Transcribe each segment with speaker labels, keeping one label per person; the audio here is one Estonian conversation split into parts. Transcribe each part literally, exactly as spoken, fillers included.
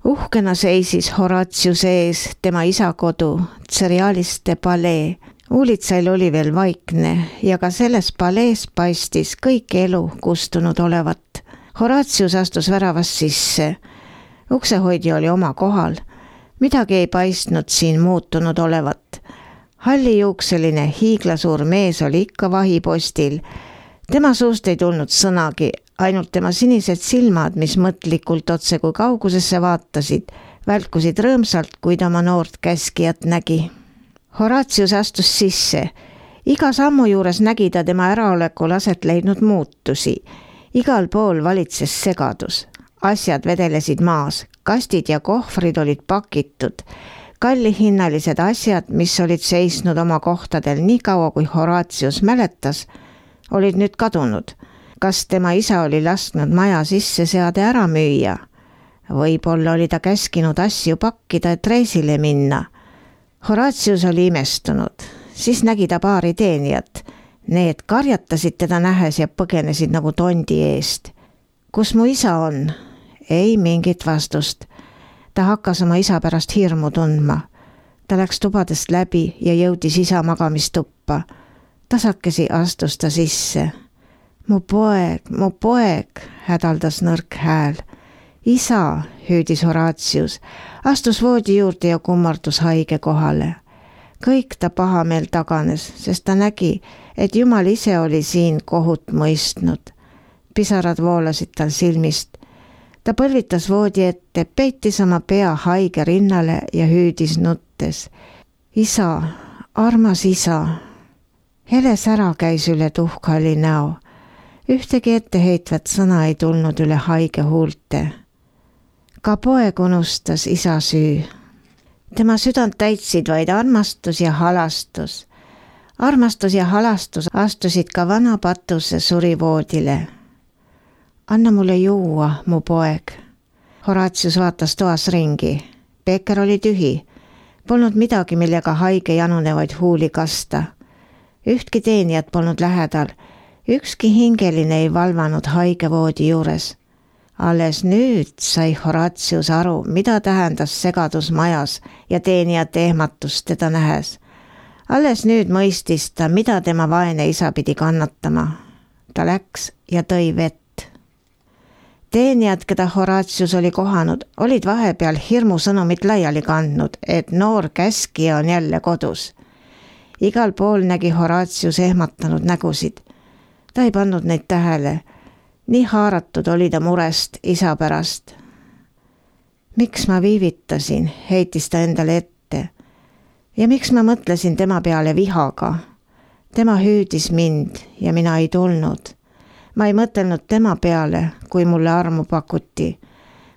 Speaker 1: Uhkena seisis Horatiuse ees tema isa kodu, Tserialiste palee. Uulitsail oli veel vaikne ja ka selles palees paistis kõik elu kustunud olevat. Horatius astus väravast sisse. Uksehoidja oli oma kohal. Midagi ei paistnud siin muutunud olevat. Hallijuukseline hiiglasuur mees oli ikka vahipostil. Tema suust ei tulnud sõnagi, ainult tema sinised silmad, mis mõtlikult otse kui kaugusesse vaatasid, välkusid rõõmsalt, kui ta oma noort käskijat nägi. Horatius astus sisse. Iga sammu juures nägi ta tema äraolekul aset leidnud muutusi. Igal pool valitses segadus. Asjad vedelesid maas, kastid ja kohvrid olid pakitud. Kallihinnalised asjad, mis olid seisnud oma kohtadel nii kaua, kui Horatius mäletas, olid nüüd kadunud. Kas tema isa oli lasknud maja sisse seade ära müüa? Võib-olla oli ta käskinud asju pakkida, et reisile minna. Horatius oli imestunud. Siis nägi ta paari teenijat. Need karjatasid teda nähes ja põgenesid nagu tondi eest. Kus mu isa on? Ei mingit vastust. Ta hakkas oma isa pärast hirmu tundma. Ta läks tubadest läbi ja jõudis isa magamistuppa. Tasakesi astus ta sisse. Mu poeg, mu poeg, hädaldas nõrk hääl. Isa, hüüdis Horatius, astus voodi juurde ja kummardus haige kohale. Kõik ta pahameel taganes, sest ta nägi, et Jumal ise oli siin kohut mõistnud. Pisarad voolasid tal silmist. Ta põlvitas voodi ette, peitis oma pea haige rinnale ja hüüdis nuttes. Isa, armas isa. Hele sära käis üle tuhkhalli näo. Ühtegi etteheitvat sõna ei tulnud üle haige huulte. Ka poeg unustas isa süü. Tema südant täitsid vaid armastus ja halastus. Armastus ja halastus astusid ka vana patuse surivoodile. Anna mulle juua, mu poeg. Horatius vaatas toas ringi. Beeker oli tühi. Polnud midagi, millega haige janunevaid huuli kasta. Ühtki teenijat polnud lähedal. Ükski hingeline ei valvanud haige voodi juures. Alles nüüd sai Horatius aru, mida tähendas segadus majas ja teenijate ehmatust teda nähes. Alles nüüd mõistis ta, mida tema vaene isa pidi kannatama. Ta läks ja tõi vett. Teenijad, keda Horatius oli kohanud, olid vahepeal hirmusõnumit laiali kandnud, et noor käskija on jälle kodus. Igal pool nägi Horatius ehmatanud nägusid. Ta ei pannud neid tähele. Nii haaratud oli ta murest isa pärast. Miks ma viivitasin, heitis ta endale ette. Ja miks ma mõtlesin tema peale vihaga? Tema hüüdis mind ja mina ei tulnud. Ma ei mõtelnud tema peale, kui mulle armu pakuti.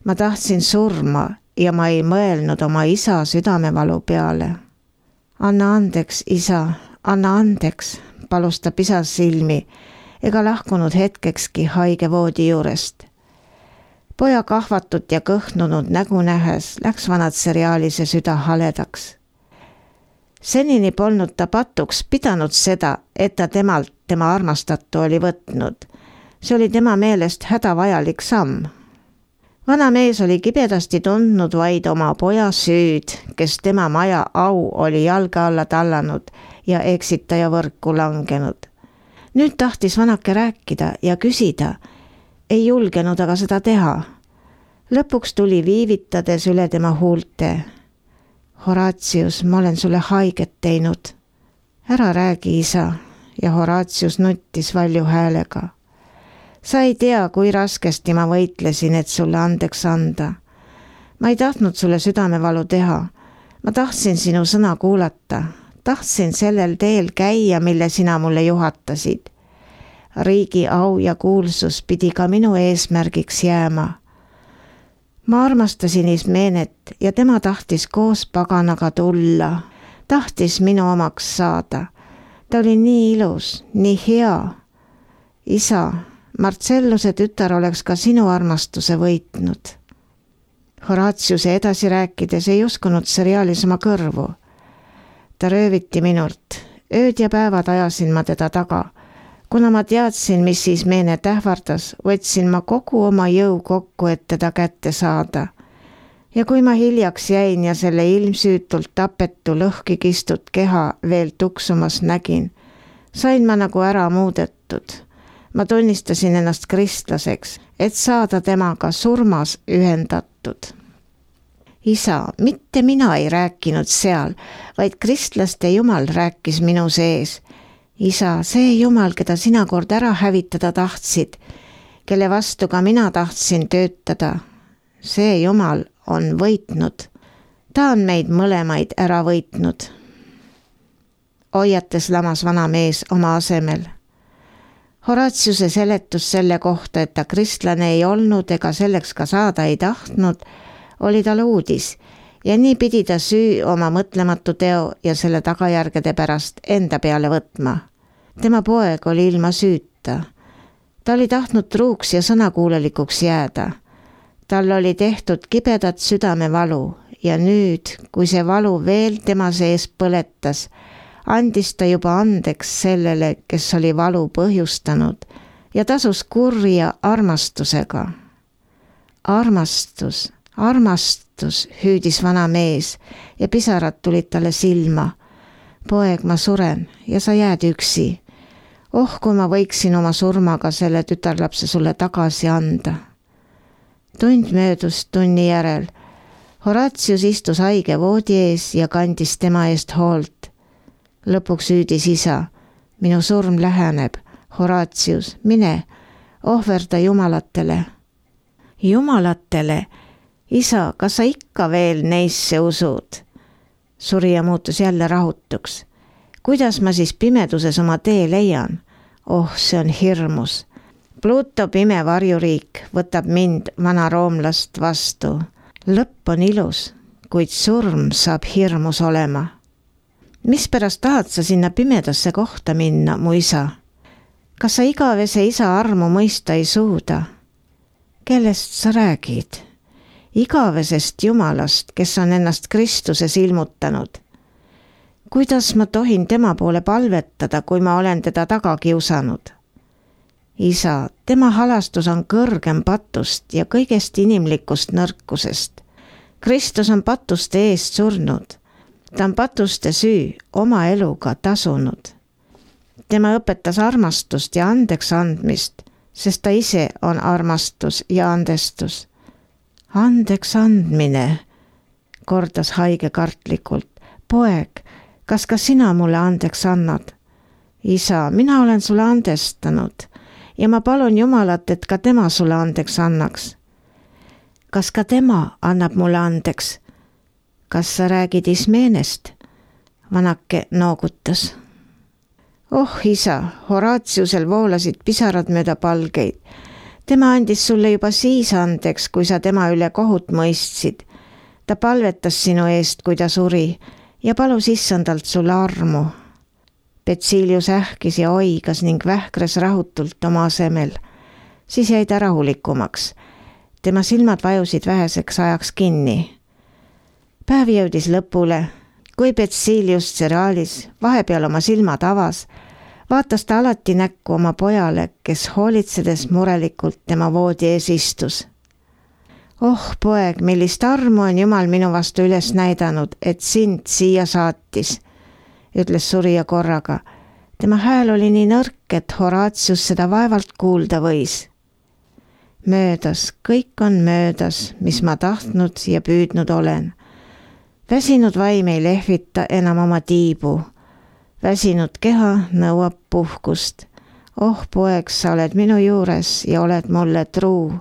Speaker 1: Ma tahtsin surma ja ma ei mõelnud oma isa südamevalu peale. Anna andeks, isa, anna andeks, palus ta pisas silmi, ega lahkunud hetkekski haige voodi juurest. Poja kahvatut ja kõhnunud nägu nähes läks vanad seriaalise süda haledaks. Senini polnud ta patuks pidanud seda, et ta temalt tema armastatu oli võtnud. See oli tema meelest hädavajalik samm. Vana mees oli kibedasti tundnud vaid oma poja süüd, kes tema maja au oli jalga alla tallanud ja eksitaja võrku langenud. Nüüd tahtis vanake rääkida ja küsida, ei julgenud aga seda teha. Lõpuks tuli viivitades üle tema huulte. Horatius, ma olen sulle haiget teinud. Ära räägi, isa, ja Horatius nuttis valju häälega. Sa ei tea, kui raskesti ma võitlesin, et sulle andeks anda. Ma ei tahtnud sulle südamevalu teha. Ma tahtsin sinu sõna kuulata. Tahtsin sellel teel käia, mille sina mulle juhatasid. Riigi au ja kuulsus pidi ka minu eesmärgiks jääma. Ma armastasin Ismenet ja tema tahtis koos paganaga tulla. Tahtis minu omaks saada. Ta oli nii ilus, nii hea. Isa, Marcelluse tütar oleks ka sinu armastuse võitnud. Horatiuse edasi rääkides ei uskunud seriaalis oma kõrvu. Ta rööviti minult. Ööd ja päevad ajasin ma teda taga. Kuna ma teadsin, mis siis Menet ähvardas, võtsin ma kogu oma jõu kokku, et teda kätte saada. ja kui ma hiljaks jäin ja selle ilmsüütult tapetu lõhki kistud keha veel tuksumas nägin, sain ma nagu ära muudetud. Ma tunnistasin ennast kristlaseks, et saada temaga surmas ühendatud. Isa, mitte mina ei rääkinud seal, vaid kristlaste Jumal rääkis minu sees. Isa, see Jumal, keda sina kord ära hävitada tahtsid, kelle vastu ka mina tahtsin töötada, see Jumal on võitnud. Ta on meid mõlemaid ära võitnud. Hoiates lamas vana mees oma asemel. Horatiuse seletus selle kohta, et ta kristlane ei olnud ega selleks ka saada ei tahtnud, oli tal uudis ja nii pidi ta süü oma mõtlematu teo ja selle tagajärgede pärast enda peale võtma. Tema poeg oli ilma süüta. Ta oli tahtnud truuks ja sõnakuulelikuks jääda. Tal oli tehtud kibedat südamevalu ja nüüd, kui see valu veel tema sees põletas, andis ta juba andeks sellele, kes oli valu põhjustanud ja tasus kurja armastusega. Armastus, armastus, hüüdis vana mees ja pisarad tulid talle silma. Poeg, ma suren ja sa jääd üksi. Oh, kui ma võiksin oma surmaga selle tütarlapse sulle tagasi anda. Tund möödus tunni järel. Horatius istus haige voodi ees ja kandis tema eest hoolt. Lõpuks hüüdis isa, minu surm läheneb. Horatius, mine, ohverda jumalatele. Jumalatele? Isa, kas sa ikka veel neisse usud? Surija muutus jälle rahutuks. Kuidas ma siis pimeduses oma tee leian? Oh, see on hirmus. Pluto pime varjuriik võtab mind, vana roomlast, vastu. Lõpp on ilus, kuid surm saab hirmus olema. Mispärast tahad sa sinna pimedasse kohta minna, mu isa? Kas sa igavese isa armu mõista ei suuda? Kellest sa räägid? Igavesest Jumalast, kes on ennast Kristuses ilmutanud. Kuidas ma tohin tema poole palvetada, kui ma olen teda taga kiusanud? Isa, tema halastus on kõrgem patust ja kõigest inimlikust nõrkusest. Kristus on patuste eest surnud. Ta on patuste süü oma eluga tasunud. Tema õpetas armastust ja andeks andmist, sest ta ise on armastus ja andestus. Andeks andmine, kordas haige kartlikult. Poeg, kas ka sina mulle andeks annad? Isa, mina olen sulle andestanud ja ma palun Jumalat, et ka tema sulle andeks annaks. Kas ka tema annab mulle andeks? Kas sa räägid Ismeenest? Vanake noogutas. Oh, isa, Horatiusel voolasid pisarad mööda palgeid. Tema andis sulle juba siis andeks, kui sa tema üle kohut mõistsid. Ta palvetas sinu eest, kui ta suri ja palus issandalt sulle armu. Betsilius ähkis ja oigas ning vähkres rahutult oma asemel. Siis jäi ta rahulikumaks. Tema silmad vajusid väheseks ajaks kinni. Päev jõudis lõpule. Kui Betsilius Tseraalis vahepeal oma silmad avas, vaatas ta alati näkku oma pojale, kes hoolitsedes murelikult tema voodi ees istus. Oh, poeg, millist armu on Jumal minu vastu üles näidanud, et sind siia saatis, ütles surija korraga. Tema hääl oli nii nõrk, et Horatius seda vaevalt kuulda võis. Möödas, kõik on möödas, mis ma tahtnud ja püüdnud olen. Väsinud vaim ei lehvita enam oma tiibu. Väsinud keha nõuab puhkust. Oh, poeg, sa oled minu juures ja oled mulle truu.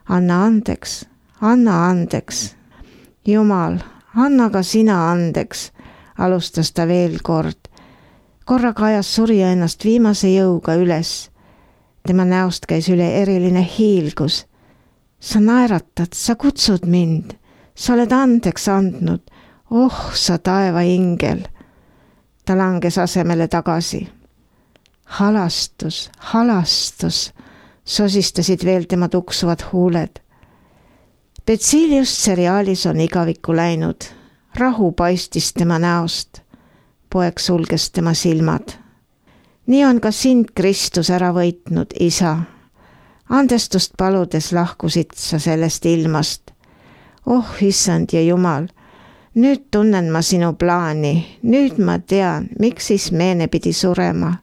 Speaker 1: Anna andeks, anna andeks. Jumal, anna ka sina andeks, alustas ta veel kord. Korraga ajas surija ennast viimase jõuga üles. Tema näost käis üle eriline hiilgus. Sa naeratad, sa kutsud mind. Sa oled andeks andnud. Oh, sa taeva ingel. Ta langes asemele tagasi. Halastus, halastus, sosistasid veel tema tuksuvad huuled. Betsilius Tseraalis on igavikku läinud. Rahu paistis tema näost. Poeg sulges tema silmad. Nii on ka sind Kristus ära võitnud, isa. Andestust paludes lahkusid sa sellest ilmast. oh issand ja Jumal, nüüd tunnen ma sinu plaani, nüüd ma tean, miks Ismeene pidi surema.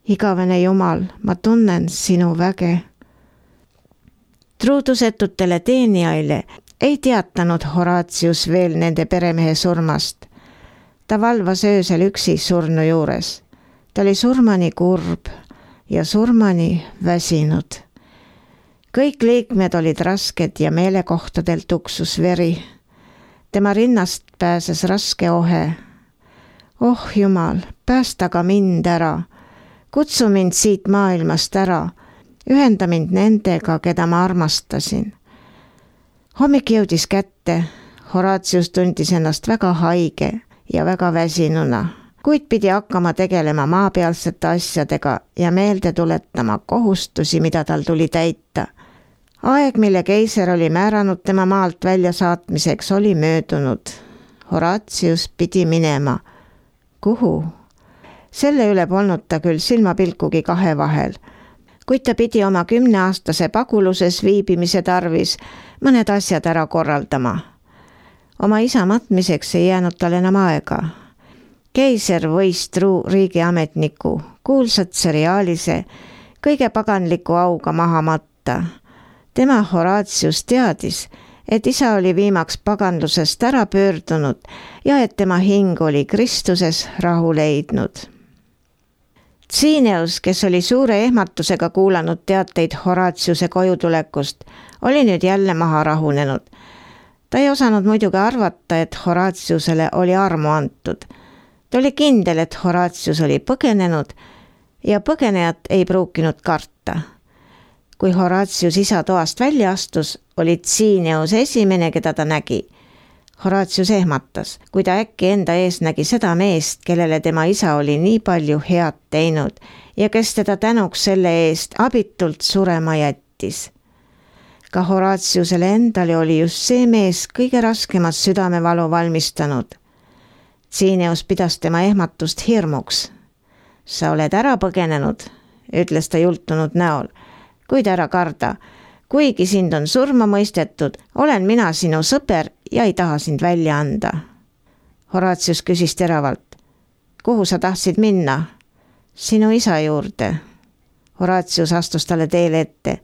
Speaker 1: Igavene Jumal, ma tunnen sinu väge. Truudusetutele teenijaile ei teatanud Horatius veel nende peremehe surmast. Ta valvas öösel üksi surnu juures. Ta oli surmani kurb ja surmani väsinud. Kõik liikmed olid rasked ja meelekohtadel tuksus veri. Tema rinnast pääses raske ohe. Oh Jumal, päästa ka mind ära. Kutsu mind siit maailmast ära. Ühenda mind nendega, keda ma armastasin. Hommik jõudis kätte. Horatius tundis ennast väga haige ja väga väsinuna, kuid pidi hakkama tegelema maapealsete asjadega ja meelde tuletama kohustusi, mida tal tuli täita. Aeg, mille keiser oli määranud tema maalt välja saatmiseks, oli möödunud. Horatius pidi minema. Kuhu? Selle üle polnud ta küll silmapilkugi kahe vahel, kuid ta pidi oma kümneaastase paguluses viibimise tarvis mõned asjad ära korraldama. Oma isa matmiseks ei jäänud tal enam aega. Keiser võis truu riigiametniku, kuulsat seriaalise, kõige paganliku auga maha matta. Tema Horatius teadis, et isa oli viimaks paganlusest ära pöördunud ja et tema hing oli Kristuses rahu leidnud. Tsiineus, kes oli suure ehmatusega kuulanud teateid Horatiuse kojutulekust, oli nüüd jälle maha rahunenud. Ta ei osanud muidugi arvata, et Horatiusele oli armu antud. Ta oli kindel, et Horatius oli põgenenud ja põgenejat ei pruukinud karta. Kui Horatius isa toast välja astus, oli Tsiineus esimene, keda ta nägi. Horatius ehmatas, kui ta äkki enda ees nägi seda meest, kellele tema isa oli nii palju head teinud ja kes teda tänuks selle eest abitult surema jättis. Ka Horatiusele endale oli just see mees kõige raskemat südamevalu valmistanud. Tsiineus pidas tema ehmatust hirmuks. Sa oled ära põgenenud, ütles ta jultunud näol, kuid ära karda. Kuigi sind on surma mõistetud, olen mina sinu sõber ja ei taha sind välja anda. Horatius küsis teravalt. Kuhu sa tahtsid minna? Sinu isa juurde. Horatius astus talle teele ette.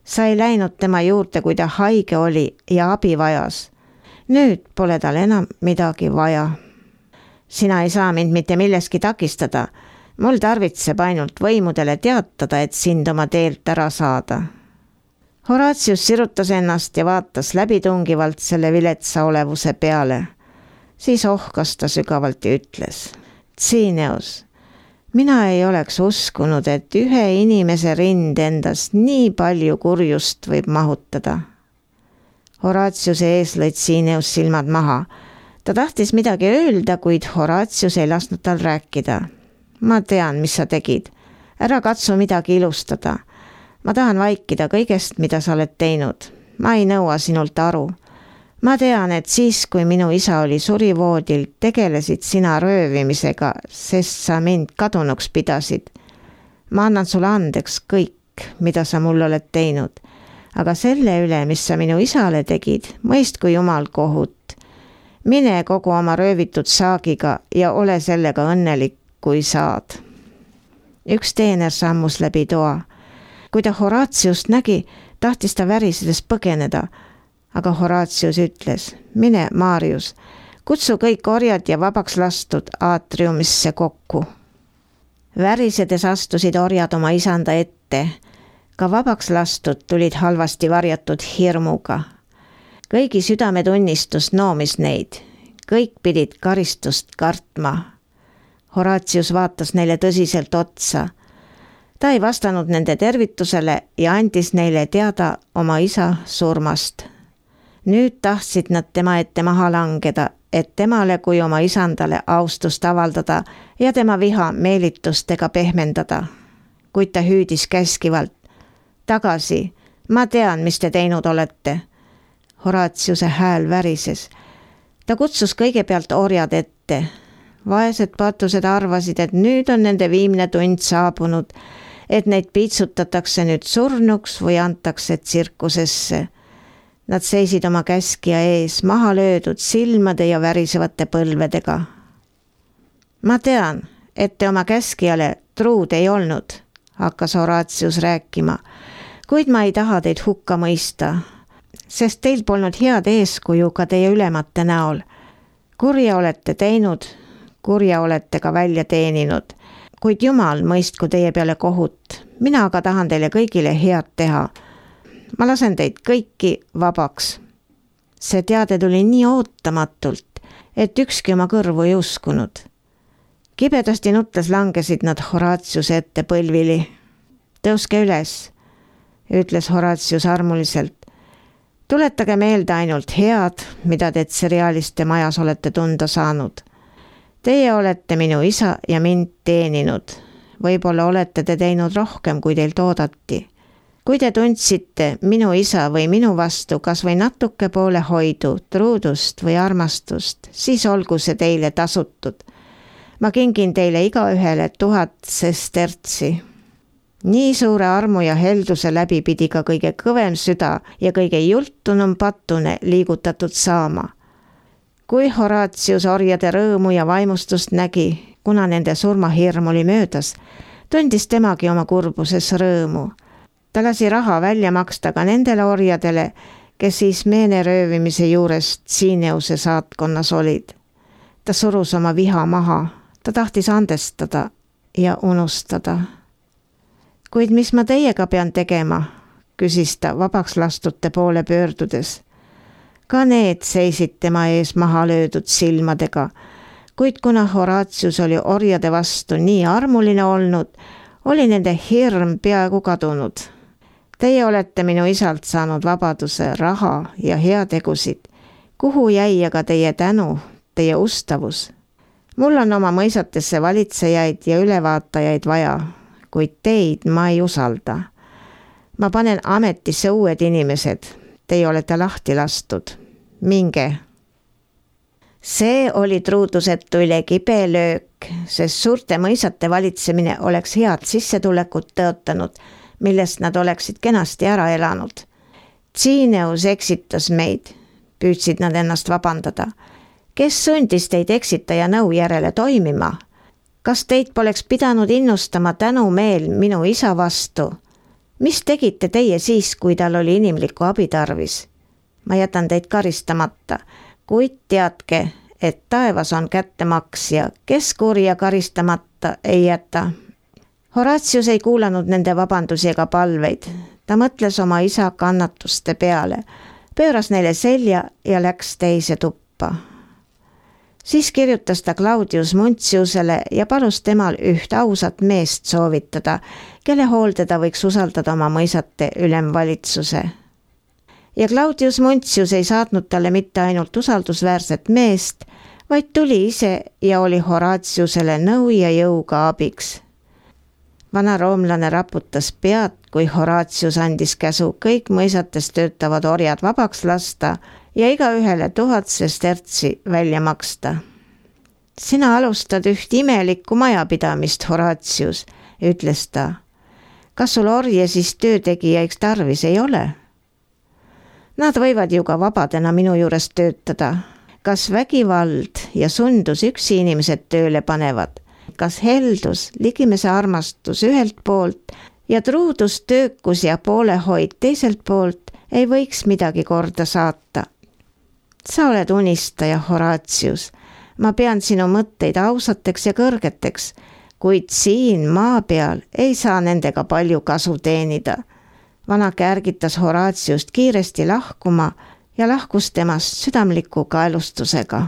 Speaker 1: Sa ei läinud tema juurde, kui ta haige oli ja abi vajas. Nüüd pole tal enam midagi vaja. Sina ei saa mind mitte milleski takistada. Mul tarvitseb ainult võimudele teatada, et sind oma teelt ära saada. Horatius sirutas ennast ja vaatas läbitungivalt selle viletsa olevuse peale. Siis ohkas ta sügavalt ja ütles. Tsiineus, mina ei oleks uskunud, et ühe inimese rind endast nii palju kurjust võib mahutada. Horatiuse ees lõid Tsiineus silmad maha. Ta tahtis midagi öelda, kuid Horatius ei lasknud tal rääkida. Ma tean, mis sa tegid. Ära katsu midagi ilustada. Ma tahan vaikida kõigest, mida sa oled teinud. Ma ei nõua sinult aru. Ma tean, et siis, kui minu isa oli surivoodil, tegelesid sina röövimisega, sest sa mind kadunuks pidasid. Ma annan sulle andeks kõik, mida sa mul oled teinud. Aga selle üle, mis sa minu isale tegid, mõistku Jumal kohut. Mine kogu oma röövitud saagiga ja ole sellega õnnelik, kui saad. Üks teener sammus läbi toa. Kui ta Horatiust nägi, tahtis ta värisedes põgeneda, aga Horatius ütles, mine, Marius, kutsu kõik orjad ja vabaks lastud aatriumisse kokku. Värisedes astusid orjad oma isanda ette, ka vabaks lastud tulid halvasti varjatud hirmuga. Kõigi südametunnistus noomis neid, kõik pidid karistust kartma. Horatius vaatas neile tõsiselt otsa. Ta ei vastanud nende tervitusele ja andis neile teada oma isa surmast. Nüüd tahtsid nad tema ette maha langeda, et temale kui oma isandale austust avaldada ja tema viha meelitustega pehmendada. Kuid ta hüüdis käskivalt. Tagasi, ma tean, mis te teinud olete. Horatiuse hääl värises. Ta kutsus kõigepealt orjad ette. Vaesed patused arvasid, et nüüd on nende viimne tund saabunud, et neid piitsutatakse nüüd surnuks või antakse tsirkusesse. Nad seisid oma käskija ees, maha löödud silmade ja värisevate põlvedega. Ma tean, et te oma käskijale truud ei olnud, hakkas Horatius rääkima, kuid ma ei taha teid hukka mõista, sest teil polnud head eeskuju ka teie ülemate näol. Kurja olete teinud, kurja olete ka välja teeninud, kuid Jumal mõistku teie peale kohut. Mina aga tahan teile kõigile head teha. Ma lasen teid kõiki vabaks. See teade tuli nii ootamatult, et ükski oma kõrvu ei uskunud. Kibedasti nutles langesid nad Horatiuse ette põlvili. Tõuske üles, ütles Horatius armuliselt. Tuletage meelde ainult head, mida te Tserialiste majas olete tunda saanud. Teie olete minu isa ja mind teeninud. Võib-olla olete te teinud rohkem, kui teilt oodati. Kui te tundsite minu isa või minu vastu kas või natuke poole hoidu, truudust või armastust, siis olgu see teile tasutud. Ma kingin teile igaühele tuhat sestertsi. Nii suure armu ja helduse läbi pidi ka kõige kõvem süda ja kõige jultunum patune liigutatud saama. Kui Horatius orjade rõõmu ja vaimustust nägi, kuna nende surmahirm oli möödas, tundis temagi oma kurbuses rõõmu. Ta lasi raha välja maksta ka nendele orjadele, kes siis meene röövimise juures Tsineuse saatkonnas olid. Ta surus oma viha maha, ta tahtis andestada ja unustada. Kuid mis ma teiega pean tegema, küsis ta vabaks lastute poole pöördudes. Ka need seisid tema ees maha löödud silmadega, kuid kuna Horatius oli orjade vastu nii armuline olnud, oli nende hirm peaaegu kadunud. Teie olete minu isalt saanud vabaduse, raha ja heategusid. Kuhu jäi aga teie tänu, teie ustavus? Mul on oma mõisatesse valitsejaid ja ülevaatajaid vaja, kuid teid ma ei usalda. Ma panen ametisse uued inimesed. Teie olete lahti lastud. Minge. See oli truudusetu üle kibe löök, sest suurte mõisate valitsemine oleks head sissetulekut tõotanud, millest nad oleksid kenasti ära elanud. Tsineus eksitas meid, püüdsid nad ennast vabandada. Kes sundis teid eksitaja nõu järele toimima? Kas teid poleks pidanud innustama tänumeel minu isa vastu? Mis tegite teie siis, kui tal oli inimlikku abitarvis? Ma jätan teid karistamata, kuid teadke, et taevas on kättemaksja, kes kurja karistamata ei jäta. Horatius ei kuulanud nende vabandusi ega palveid. Ta mõtles oma isa kannatuste peale, pööras neile selja ja läks teise tuppa. Siis kirjutas ta Claudius Muntiusele ja palus temal üht ausat meest soovitada, kelle hoolde ta võiks usaldada oma mõisate ülemvalitsuse. Ja Claudius Muntius ei saatnud talle mitte ainult usaldusväärset meest, vaid tuli ise ja oli Horatiusele nõu ja jõuga abiks. Vana roomlane raputas pead, kui Horatius andis käsu kõik mõisates töötavad orjad vabaks lasta ja igaühele tuhat sestertsi välja maksta. Sina alustad üht imelikku majapidamist, Horatius, ütles ta. Kas sul orje siis töötegijaiks tarvis ei ole? Nad võivad ju ka vabadena minu juures töötada. Kas vägivald ja sundus üksi inimesed tööle panevad? Kas heldus, ligimese armastus ühelt poolt ja truudus, töökus ja poolehoid teiselt poolt ei võiks midagi korda saata? Sa oled unistaja, Horatius. Ma pean sinu mõtteid ausateks ja kõrgeteks, kuid siin maa peal ei saa nendega palju kasu teenida. Vana kärgitas Horatiust kiiresti lahkuma ja lahkus temast südamliku kaelustusega.